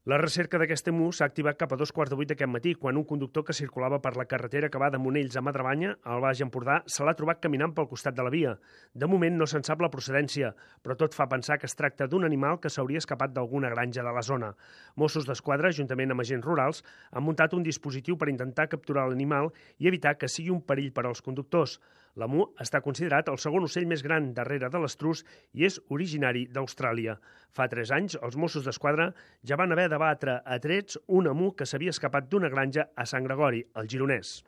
La recerca d'aquest emu s'ha activat cap a 7:15 d'aquest matí, quan un conductor que circulava per la carretera que va de Monells a Madremanya, al Baix Empordà, se l'ha trobat caminant pel costat de la via. De moment no se'n sap la procedència, però tot fa pensar que es tracta d'un animal que s'hauria escapat d'alguna granja de la zona. Mossos d'Esquadra, juntament amb agents rurals, han muntat un dispositiu per intentar capturar l'animal i evitar que sigui un perill per als conductors. L'emu està considerat el segon ocell més gran darrere de l'estrus i és originari d'Austràlia. Fa 3 anys, els Mossos d'Esquadra ja van haver de batre a trets un emu que s'havia escapat d'una granja a Sant Gregori, al Gironès.